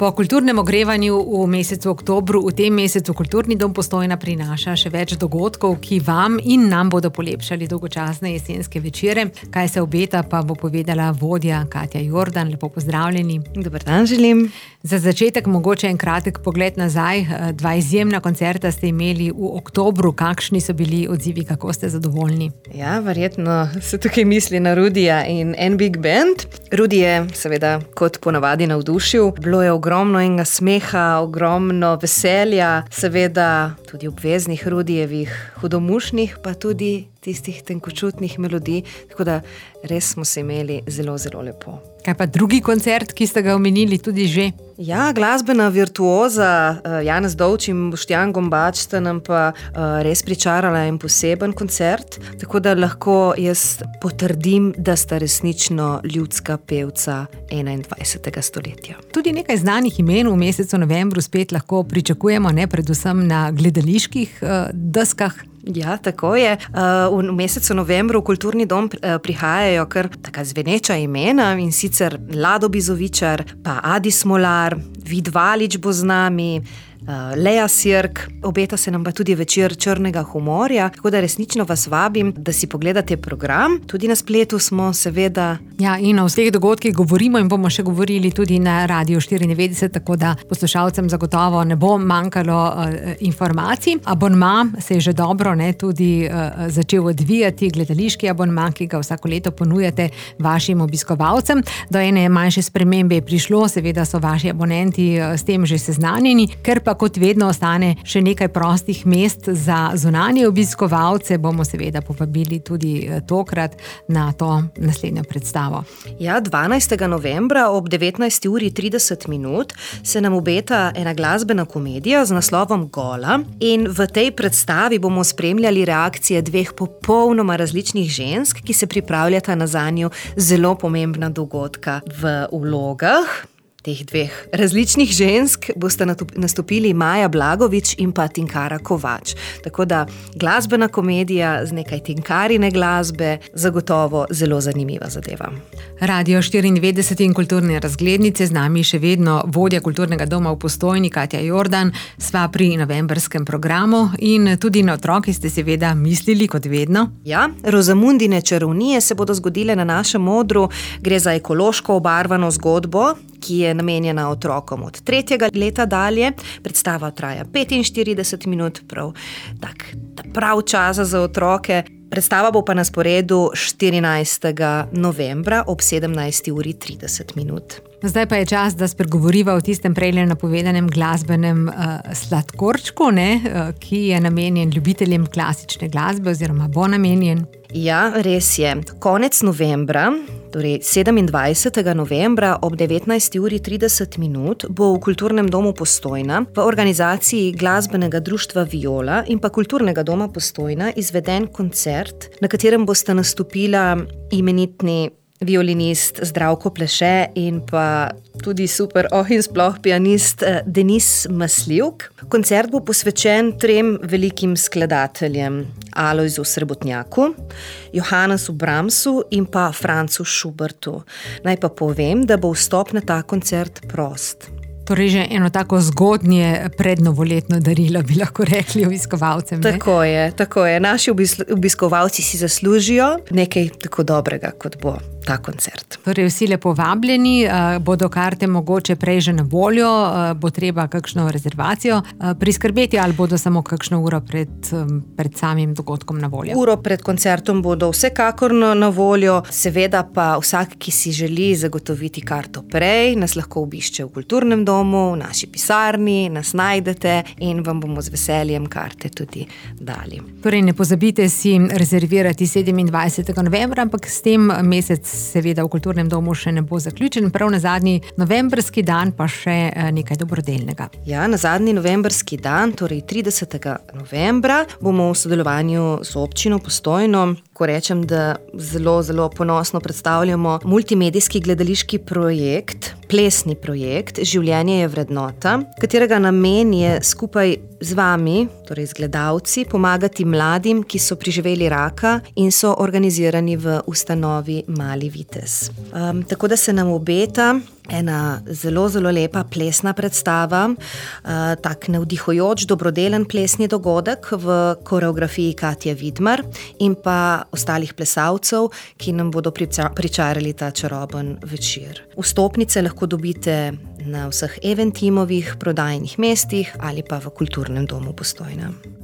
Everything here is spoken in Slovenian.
Po kulturnem ogrevanju v mesecu oktobru, v tem mesecu Kulturni dom Postojna prinaša še več dogodkov, ki vam in nam bodo polepšali dolgočasne jesenske večere. Kaj se obeta, pa bo povedala vodja Katja Jordan. Lepo pozdravljeni. Dober dan želim. Za začetek mogoče en kratek pogled nazaj. 2 izjemna koncerta ste imeli v oktobru. Kakšni so bili odzivi, kako ste zadovoljni? Ja, verjetno se tukaj misli na Rudija in en big band. Rudi je seveda kot ponavadi navdušil. Bilo je ogromno enega smeha, ogromno veselja, seveda tudi obveznih Rudijevih hudomušnih, pa tudi tistih tenkočutnih melodij, tako da res smo se imeli zelo, zelo lepo. Kaj pa drugi koncert, ki ste ga omenili tudi že? Ja, glasbena virtuoza Janez Dovč in Boštjan Gombač sta nam pa res pričarala en poseben koncert, tako da lahko jaz potrdim, da sta resnično ljudska pevca 21. stoletja. Tudi nekaj znanih imen v mesecu novembru spet lahko pričakujemo, ne, predvsem na gledaliških deskah. Ja, tako je. V mesecu novembru v Kulturni dom prihajajo kar taka zveneča imena, in sicer Lado Bizovičar, pa Adi Smolar, Vid Valič bo z nami, Lea Sirk, obeta se nam pa tudi večer črnega humorja, tako da resnično vas vabim, da si pogledate program. Tudi na spletu smo seveda. Ja, in o vseh dogodkih govorimo in bomo še govorili tudi na Radiu 94, tako da poslušalcem zagotovo ne bo manjkalo informacij. Abonma se je že dobro tudi začel odvijati, gledališki abonma, ki ga vsako leto ponujate vašim obiskovalcem. Do ene manjše spremembe je prišlo, seveda so vaši abonenti s tem že seznanjeni, ker pa kot vedno ostane še nekaj prostih mest za zunanje obiskovalce, bomo seveda povabili tudi tokrat na to naslednjo predstavo. Ja, 12. novembra ob 19:30 se nam obeta ena glasbena komedija z naslovom Gola, in v tej predstavi bomo spremljali reakcije 2 popolnoma različnih žensk, ki se pripravljata na zanju zelo pomembna dogodka. V vlogah teh 2 različnih žensk bosta nastopili Maja Blagovič in pa Tinkara Kovač. Tako da glasbena komedija z nekaj Tinkarine glasbe, zagotovo zelo zanimiva zadeva. Radio 94 in kulturne razglednice, z nami še vedno vodja Kulturnega doma v Postojni Katja Jordan. Sva pri novembrskem programu in tudi na otroke ste seveda mislili, kot vedno. Ja, Rozamundine čarovnije se bodo zgodile na našem odru. Gre za ekološko obarvano zgodbo, ki je namenjena otrokom od 3. leta dalje. Predstava traja 45 minut, prav čas za otroke. Predstava bo pa na sporedu 14. novembra ob 17:30. Zdaj pa je čas, da spregovoriva o tistem prejle napovedanem glasbenem sladkorčku, ki je namenjen ljubiteljem klasične glasbe oziroma bo namenjen. Ja, res je. Konec novembra, torej 27. novembra ob 19:30 bo v Kulturnem domu Postojna v organizaciji Glasbenega društva Viola in pa Kulturnega doma Postojna izveden koncert, na katerem bosta nastopila imenitni violinist Zdravko Pleše in pa tudi super in sploh pianist Denis Masljivk. Koncert bo posvečen 3 velikim skladateljem: Alojzu Srebotnjaku, Johannesu Brahmsu in pa Francu Schubertu. Naj pa povem, da bo vstop na ta koncert prost. Torej že eno tako zgodnje prednovoletno darilo, bi lahko rekli obiskovalcem. Tako je. Naši obiskovalci si zaslužijo nekaj tako dobrega, kot bo ta koncert. Torej vsi lepo vabljeni, bodo karte mogoče prej že na voljo, bo treba kakšno rezervacijo priskrbeti ali bodo samo kakšno uro pred samim dogodkom na voljo? Uro pred koncertom bodo vsekakor na voljo, seveda pa vsak, ki si želi zagotoviti karto prej, nas lahko obišče v Kulturnem domu, v naši pisarni, nas najdete in vam bomo z veseljem karte tudi dali. Torej ne pozabite si rezervirati 27. novembra, ampak s tem mesec seveda v Kulturnem domu še ne bo zaključen, prav na zadnji novembrski dan pa še nekaj dobrodelnega. Ja, na zadnji novembrski dan, torej 30. novembra, bomo v sodelovanju z občino Postojno, ko rečem, da zelo, zelo ponosno predstavljamo multimedijski gledališki projekt, plesni projekt Življenje je vrednota, katerega namen je skupaj z vami, torej z gledalci, pomagati mladim, ki so preživeli raka in so organizirani v ustanovi Mali vitez. Tako da se nam obeta ena zelo, zelo lepa plesna predstava, tak navdihujoč, dobrodelen plesni dogodek v koreografiji Katje Vidmar in pa ostalih plesalcev, ki nam bodo pričarali ta čaroben večer. Vstopnice lahko dobite na vseh Eventimovih prodajnih mestih ali pa v Kulturnem domu Postojna.